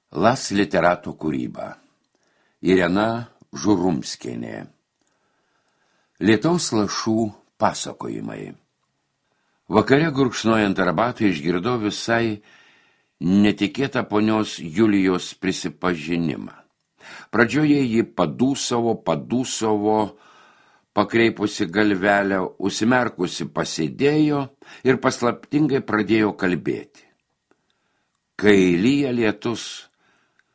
Las literatų kūryba. Irena Žurumskienė. Lietaus lašų pasakojimai. Vakare gurkšnojant arbatą išgirdau visai netikėtą ponios Julijos prisipažinimą. Pradžioje ji padūsavo, pakreipusi galvelę, užsimerkusi pasėdėjo ir paslaptingai pradėjo kalbėti. Kai lyja lietus,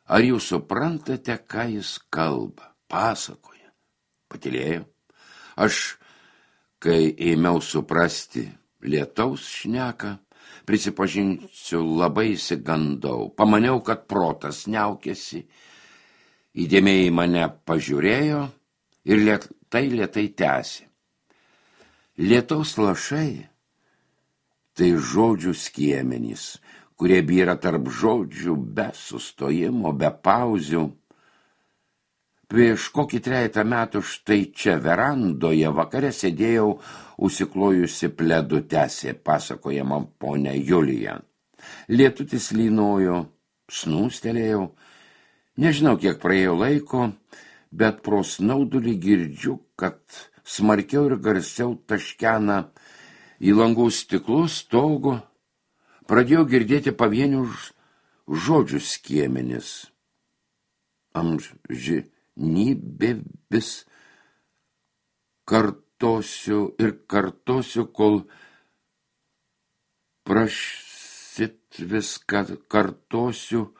ar jūs suprantate, ką jis kalba, pasakoja? Patylėjo. Aš, kai ėmiau suprasti lietaus šneką, prisipažinsiu, labai įsigandau. Pamaniau, kad protas niaukėsi, įdėmiai mane pažiūrėjo ir lėtai tęsė. Lietaus lašai tai žodžių skiemenys, kurie byra tarp žodžių be sustojimo, be pauzių. Prieš kokį 3 metų štai čia verandoje vakare sėdėjau užsiklojusi pledu, tęsė pasakojama ponia Julija. Lietutis lynojo, snūstelėjau. Nežinau, kiek praėjo laiko, bet pro snaudulį girdžiu, kad smarkiau ir garsiau taškena į langų stiklus stogo. Pradėjau girdėti pavienių žodžių skiemenis. Amžinybė vis kartosiu ir kartosiu, kol prašyt viską kartosiu,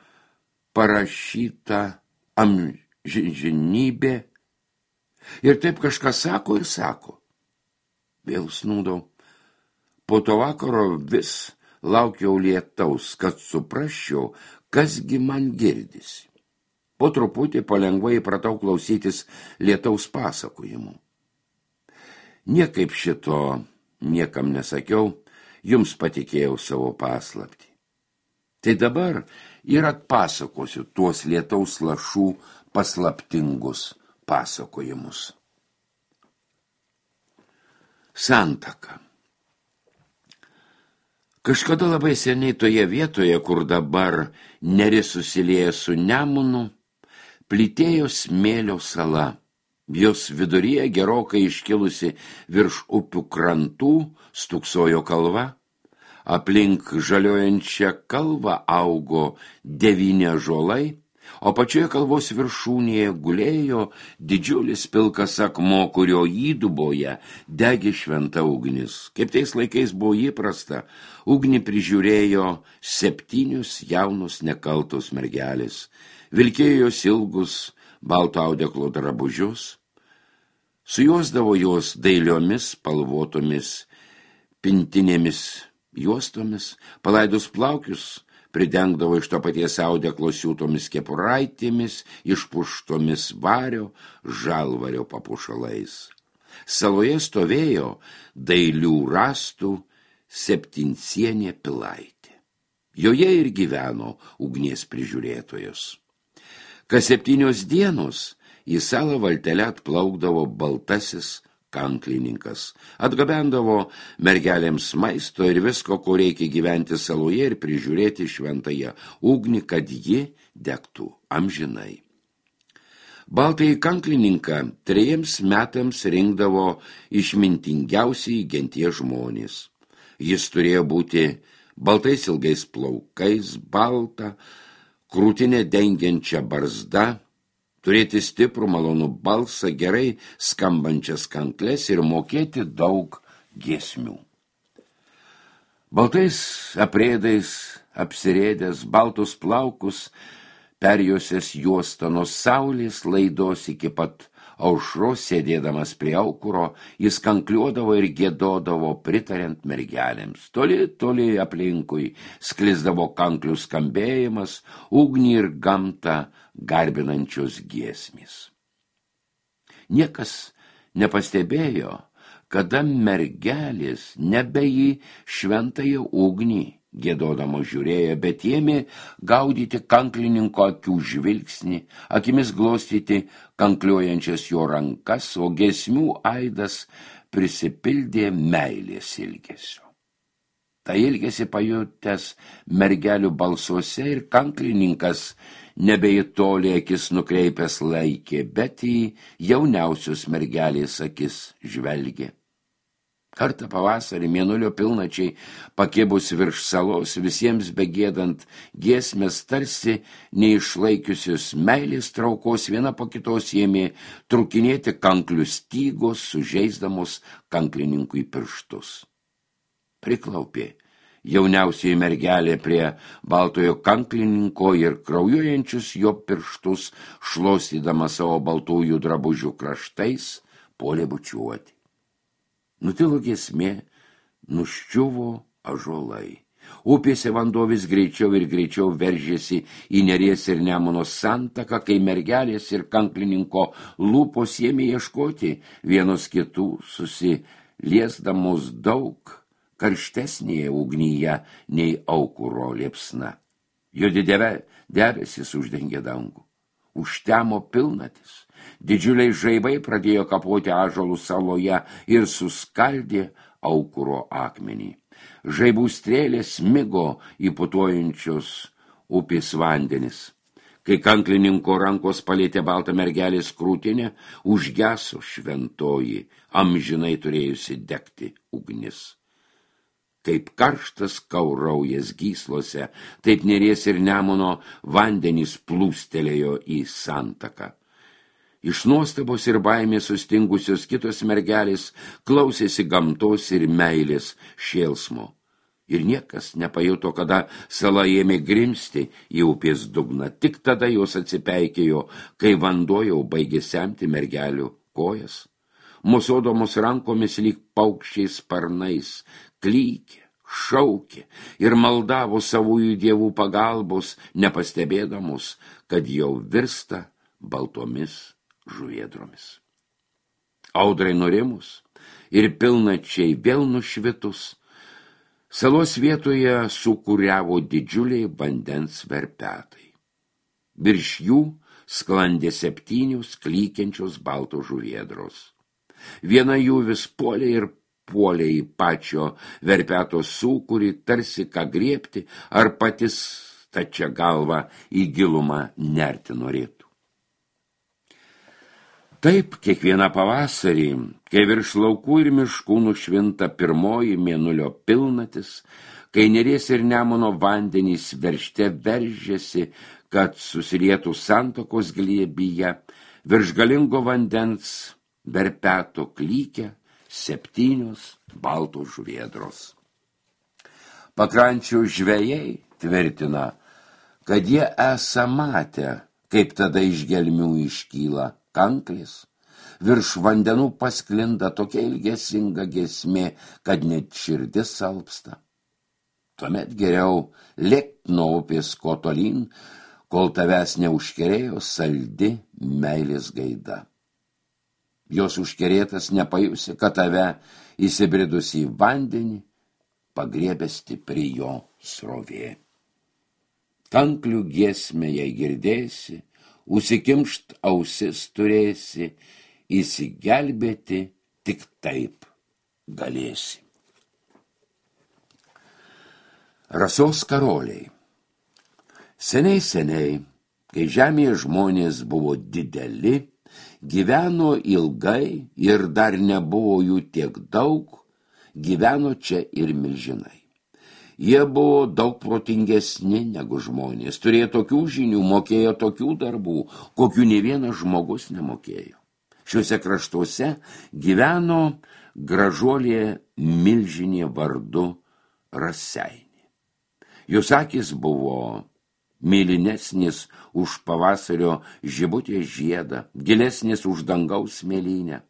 parašyta amžinybė. Ir taip kažkas sako ir sako. Vėl snūdau. Po to vakaro vis laukiau lietaus, kad suprasčiau, kasgi man girdisi. Po truputį palengvai pratau klausytis lietaus pasakojimų. Niekaip šito niekam nesakiau, jums patikėjau savo paslaptį. Tai dabar ir atpasakosiu tuos lietaus lašų paslaptingus pasakojimus. Santaka. Kažkada labai seniai toje vietoje, kur dabar Neris susilieja su Nemunu, plytėjo smėlio sala. Jos viduryje gerokai iškilusi virš upių krantų stūksojo kalva. Aplink žaliojančią kalvą augo 9 ąžuolai, o pačioje kalvos viršūnėje gulėjo didžiulis pilkas akmuo, kurio įduboje degė šventa ugnis. Kaip tais laikais buvo įprasta, ugnį prižiūrėjo 7 jaunus nekaltos mergelės. Vilkėjo jos ilgus balto audeklo drabužius, sujuosdavo jos dailiomis spalvotomis pintinėmis juostomis, palaidus plaukius pridengdavo iš to paties audeklo siūtomis kepuraitėmis, išpuštomis vario, žalvario papuošalais. Saloje stovėjo dailių rąstų 7-sienė pilaitė. Joje ir gyveno ugnies prižiūrėtojos. Kas 7 dienos į salą valtele atplaukdavo baltasis kanklininkas, atgabendavo mergelėms maisto ir visko, ko reikia gyventi saloje ir prižiūrėti šventąją ugnį, kad ji degtų amžinai. Baltąjį kanklininką 3 metams rinkdavo išmintingiausiai genties žmonės. Jis turėjo būti baltais ilgais plaukais, balta, krūtinę dengiančią barzdą, turėti stiprų malonų balsą, gerai skambančias kankles ir mokėti daug giesmių. Baltais aprėdais apsirėdęs, baltus plaukus perjuosęs juostą nuo saulės laidos iki pat aušros, sėdėdamas prie aukuro, jis kankliuodavo ir giedodavo, pritariant mergelėms. Toli aplinkui sklisdavo kanklių skambėjimas, ugnį ir gamtą garbinančios giesmės. Niekas nepastebėjo, kada mergelės nebe į šventąją ugnį giedodamo žiūrėjo, bet ėmė gaudyti kanklininko akių žvilgsnį, akimis glostyti kankliuojančias jo rankas, o giesmių aidas prisipildė meilės ilgesio. Tai ilgesi pajutęs mergelių balsuose ir kanklininkas nebe į tolį akis nukreipęs laikė, bet į jauniausius mergelės akis žvelgė. Kartą pavasarį mėnulio pilnačiai pakibus virš salos, visiems begėdant giesmės tarsi neišlaikiusius meilės traukos viena po kitos ėmė trukinėti kanklių stygos, sužeisdamos kanklininkui pirštus. Priklaupė jauniausioji mergelė prie baltojo kanklininko ir kraujuojančius jo pirštus, šlostydama savo baltųjų drabužių kraštais, puolė bučiuoti. Nutilo giesmė, nuščiuvo ąžuolai. Upėse vanduo vis greičiau ir greičiau veržėsi į Neries ir Nemuno santaką, kai mergelės ir kanklininko lūpos ėmė ieškoti vienos kitų, susiliesdamos daug karštesnėje ugnyje nei aukuro liepsna. Juodi debesis uždengė dangų. Užtemo pilnatis. Didžiuliai žaibai pradėjo kapoti ąžuolų saloje ir suskaldė aukuro akmenį. Žaibų strėlės smigo į putojančios upės vandenis. Kai kanklininko rankos palėtė baltą mergelės krūtinę, užgeso šventoji, amžinai turėjusi degti ugnis. Kaip karštas kauraujas gyslose, taip Neries ir Nemuno vandenys plūstelėjo į santaką. Iš nuostabos ir baimės sustingusios kitos mergelės klausėsi gamtos ir meilės šėlsmo. Ir niekas nepajuto, kada sala ėmė grimsti į upės dugną. Tik tada jos atsipeikėjo, kai vanduo jau baigė semti mergelių kojas. Mosuodamos rankomis lyg paukščiai sparnais, klykė, šaukė ir maldavo savųjų dievų pagalbos, nepastebėdamos, kad jau virsta baltomis žuvėdromis. Audrai nurimus ir pilnačiai vėl nušvitus, salos vietoje sukūriavo didžiuliai vandens verpetai. Virš jų sklandė 7 klykiančios baltos žuvėdros. Viena jų vis puolė ir puolė į pačio verpeto sūkurį, tarsi ką griebti, ar patys stačia galva į gilumą nerti norėtų. Taip, kiekvieną pavasarį, kai virš laukų ir miškų nušvinta pirmoji mėnulio pilnatis, kai Neries ir Nemuno vandenys veržte veržėsi, kad susilietų santakos glėbyje, virš galingo vandens verpeto klykia 7 baltos žuvėdros. Pakrančių žvejai tvirtina, kad jie esą matę, kaip tada iš gelmių iškyla kanklės, virš vandenų pasklinda tokia ilgesinga giesmė, kad net širdis salpsta. Tuomet geriau lėkt nuo upės kuo tolyn, kol tavęs neužkerėjo saldi meilės gaida. Jos užkerėtas nepajusi, kad tave įsibridus į vandenį pagriebė stipri jo srovė. Kanklių giesmę jei girdėsi, užsikimšt ausis turėsi, įsigelbėti tik taip galėsi. Rasos karoliai. Seniai, kai žemėje žmonės buvo dideli, gyveno ilgai ir dar nebuvo jų tiek daug, gyveno čia ir milžinai. Jie buvo daug protingesni negu žmonės, turėjo tokių žinių, mokėjo tokių darbų, kokių nė vienas žmogus nemokėjo. Šiuose kraštuose gyveno gražuolė milžinė vardu Raseiniai. Jos akys buvo mėlynesnis už pavasario žibutės žiedą, gilesnis už dangaus mėlynę.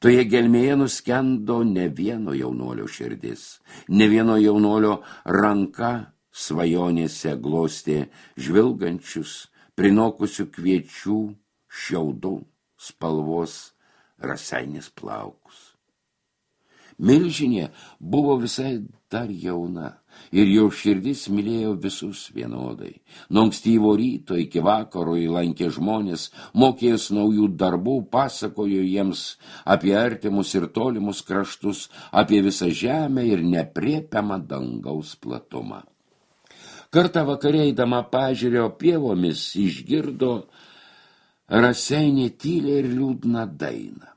Toje gelmėje nuskendo ne vieno jaunolio širdis, ne vieno jaunolio ranka svajonėse glostė žvilgančius, prinokusių kviečių, šiaudų spalvos Raseiniais plaukus. Milžinė buvo visai dar jauna, ir jo širdis mylėjo visus vienodai. Nuo ankstyvo ryto iki vakaro jį lankė žmonės, mokės naujų darbų, pasakojo jiems apie artimus ir tolimus kraštus, apie visą žemę ir nepriepiamą dangaus platumą. Kartą vakare eidama pažiūrėjo pievomis išgirdo Raseinių tylę ir liūdną dainą.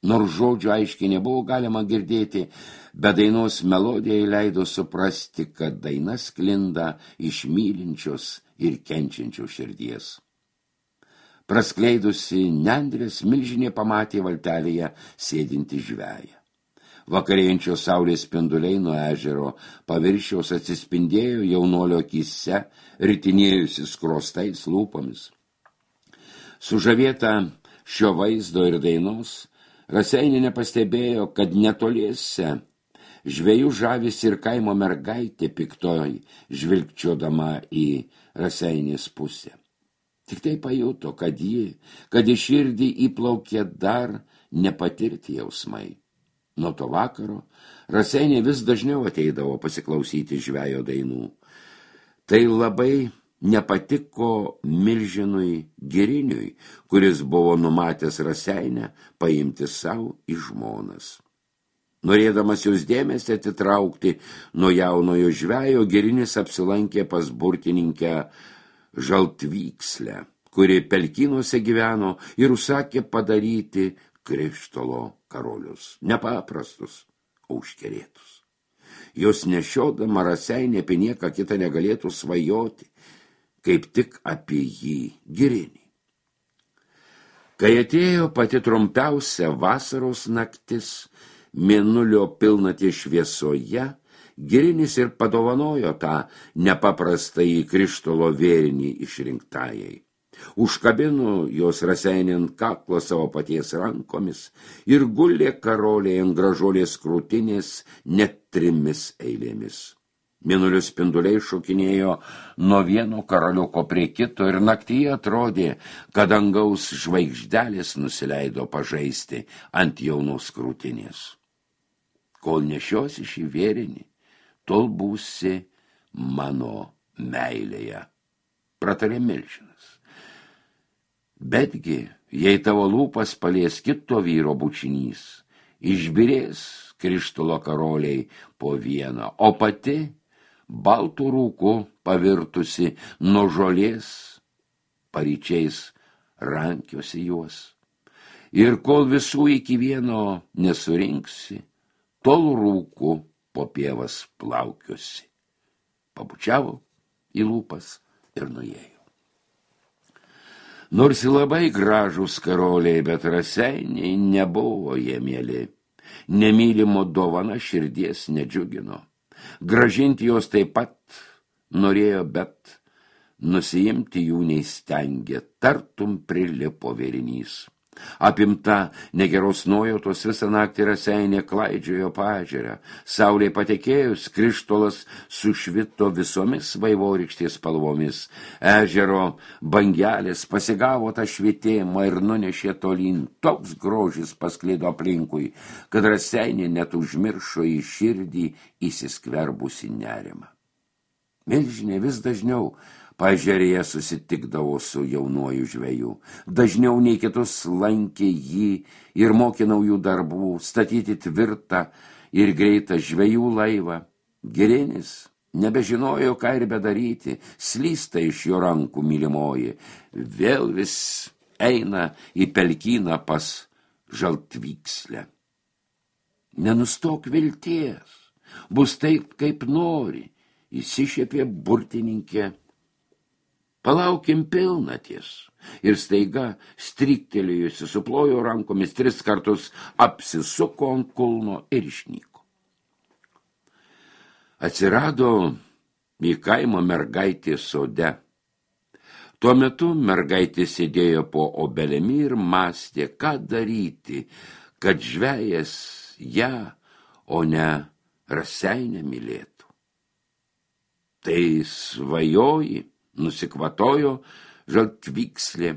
Nors žodžių aiškiai nebuvo galima girdėti, bet dainos melodija leido suprasti, kad daina sklinda iš mylinčios ir kenčiančios širdies. Praskleidusi nendrės, milžinė pamatė valtelėje sėdinti žveją. Vakarėjančios saulės spinduliai nuo ežero paviršiaus atsispindėjo jaunuolio akyse, ritinėjusi skrostais lūpomis. Sužavėta šio vaizdo ir dainos, Raseinių nepastebėjo, kad netoliese žvejų žavisi ir kaimo mergaitė piktoj žvilgčiodama į Raseinės pusę. Tik tai pajuto, kad į širdį įplaukė dar nepatirti jausmai. Nuo to vakaro Raseinė vis dažniau ateidavo pasiklausyti žvejo dainų. Tai labai nepatiko milžinui Giriniui, kuris buvo numatęs Raseinę paimti savo į žmonas. Norėdamas jos dėmesį atitraukti nuo jaunojo žvejo, Girinis apsilankė pas burtininkę Žaltvykslę, kuri pelkynuose gyveno, ir užsakė padaryti krištolo karolius, nepaprastus, o užkerėtus. Jos nešiodama Raseinė apie nieką kitą negalėtų svajoti, kaip tik apie jį Girinį. Kai atėjo pati trumpiausia vasaros naktis, mėnulio pilnaties šviesoje, Girinis ir padovanojo tą nepaprastąjį krištolo vėrinį išrinktajai. Užkabino jos Raseinė ant kaklo savo paties rankomis ir gulė karoliai ant gražuolės krūtinės net 3 eilėmis. Mėnulio spinduliai šokinėjo nuo vieno karaliuko prie kito ir naktyje atrodė, kad dangaus žvaigždelės nusileido pažaisti ant jaunos krūtinės. Kol nešiosi šį vėrinį, tol būsi mano meilėje, pratarė milžinas. Betgi, jei tavo lūpas palies kito vyro bučinys, išbirės krištolo karoliai po vieną, o pati baltų rūku pavirtusi nuo žolės, paryčiais rankiosi juos. Ir kol visų iki vieno nesurinksi, tol rūku po pievas plaukiosi. Pabučiavo į lūpas ir nuėjo. Nors labai gražūs karoliai, bet Raseiniai nebuvo jie mieli. Nemylimo dovana širdies nedžiugino. Gražinti jos taip pat norėjo, bet nusiimti jų neįstengė, tartum prilipo vėrinys. Apimta negeros nuojautos visą naktį Raseinė klaidžiojo paežerę. Saulė patekėjus, krištolas sušvito visomis vaivorykštės spalvomis. Ežero bangelės pasigavo tą švitėjimą ir nunešė tolyn. Toks grožis pasklido aplinkui, kad Raseinė net užmiršo į širdį įsiskverbusi nerimą. Milžinė vis dažniau paežerėje susitikdavo su jaunuoju žveju. Dažniau nei kitus lankė jį ir mokė naujų darbų, statyti tvirtą ir greitą žvejų laivą. Girinis nebežinojo, ką ir bedaryti, slysta iš jo rankų mylimoji. Vėl vis eina į pelkyną pas Žaltvykslę. Nenustok vilties, bus taip, kaip nori, įsišiepė burtininkė. Palaukim pilnaties. Ir staiga, stryktelėjusi, suplojo rankomis 3 kartus, apsisuko ant kulno ir išnyko. Atsirado į kaimo mergaitė sode. Tuo metu mergaitė sėdėjo po obelimi ir mąstė, ką daryti, kad žvejas ją, o ne Raseinę mylėtų. Tai svajoji, nusikvatojo Žaltvykslė,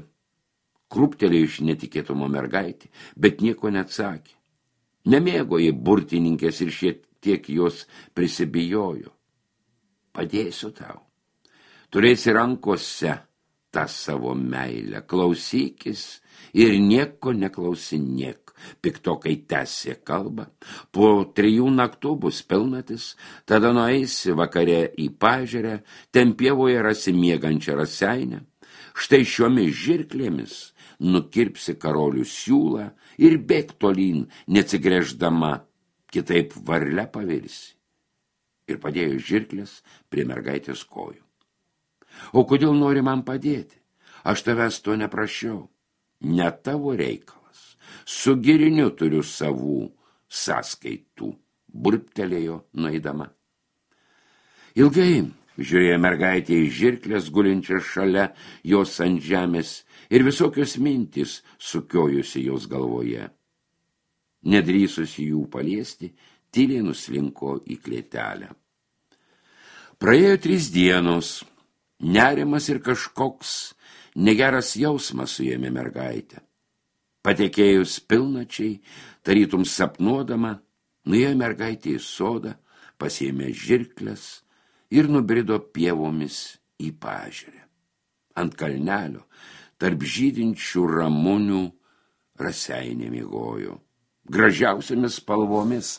krūptelėjo iš netikėtumo mergaitė, bet nieko neatsakė. Nemėgo jį burtininkės ir šiek tiek jos prisibijojo. padėsiu tau. Turėsi rankose tą savo meilę, klausykis ir nieko neklausinėk. Piktokai tęsė kalbą, po 3 naktų bus pilnatis, tada nueisi vakare į pažerę, ten pievoje rasi miegančią raseinę, štai šiomis žirklėmis nukirpsi karolių siūlą ir bėk tolyn, neatsigręždama, kitaip varle pavirsi. Ir padėjo žirklės prie mergaitės kojų. O kodėl nori man padėti? Aš tavęs to neprašiau. Ne tavo reikalas. Su giriniu turiu savų sąskaitų, burptelėjo nueidama. Ilgai žiūrėjo mergaitė į žirklės gulinčią šalia jos ant žemės ir visokios mintys sukiojusi jos galvoje. Nedrįsusi jų paliesti, tyliai nuslinko į klėtelę. Praėjo 3 dienos. Nerimas ir kažkoks negeras jausmas suėmė mergaitę. Patekėjus pilnačiai, tarytum sapnuodama, nuėjo mergaitė į sodą, pasiėmė žirkles ir nubrido pievomis į pažerę. Ant kalnelio, tarp žydinčių ramunių, raseinė miegojo. Gražiausiamis spalvomis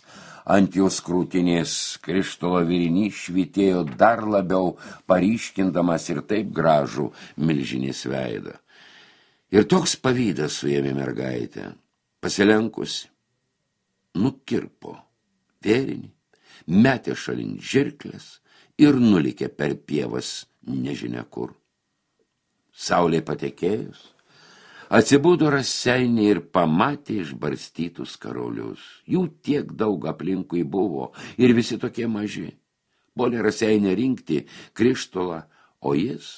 ant jos krūtinės krištolo virinys švytėjo dar labiau, paryškindamas ir taip gražų milžinės veidą. Ir toks pavydas suėmė mergaitę, pasilenkusi, nukirpo vėrinį, metė šalin žirklės ir nulikė per pievas nežinia kur. Saulė patekėjus, atsibudo raseinė ir pamatė išbarstytus karolius. Jų tiek daug aplinkui buvo ir visi tokie maži. Puolė raseinė rinkti krištolą, o jis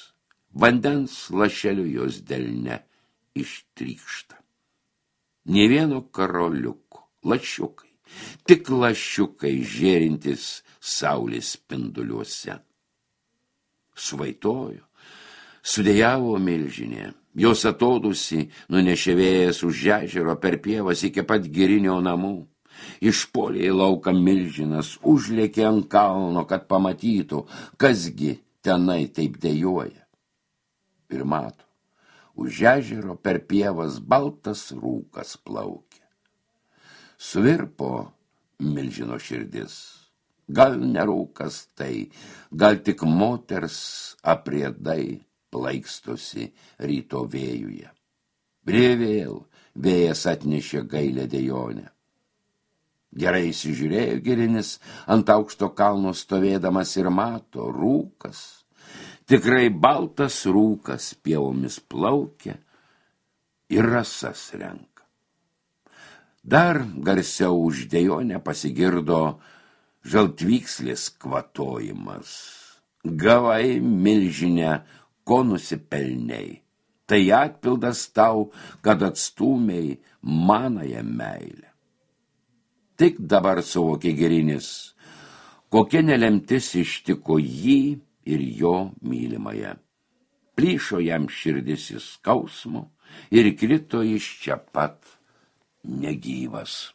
vandens lašeliu jos delne ištrykšta. Nė vieno karoliuko, lašiukai, tik lašiukai žėrintis saulės spinduliuose. Svaitojo, sudėjavo milžinė. Jos atodusi nunešė vėjas už ežero per pievas iki pat girinio namų. Išpuolė į lauką milžinas, užlėkė ant kalno, kad pamatytų, kasgi tenai taip dejuoja. Ir mato, už ežero per pievas baltas rūkas plaukė. Svirpo milžino širdis. Gal ne rūkas tai, gal tik moters apriedai plaikstosi ryto vėjuje. Vėl vėjas atnešė gailę dejonę. Gerai įsižiūrėjo girinis ant aukšto kalno stovėdamas ir mato rūkas. Tikrai baltas rūkas pievomis plaukia ir rasas renka. Dar garsiau už dejonę pasigirdo žaltvykslės kvatojimas. Gavai milžinę, ko nusipelniai. Tai atpildas tau, kad atstūmei manąją meilę. Tik dabar suvokė girinis, kokia nelemtis ištiko jį ir jo mylimąją. Plyšo jam širdis iš skausmo ir krito iš čia pat negyvas.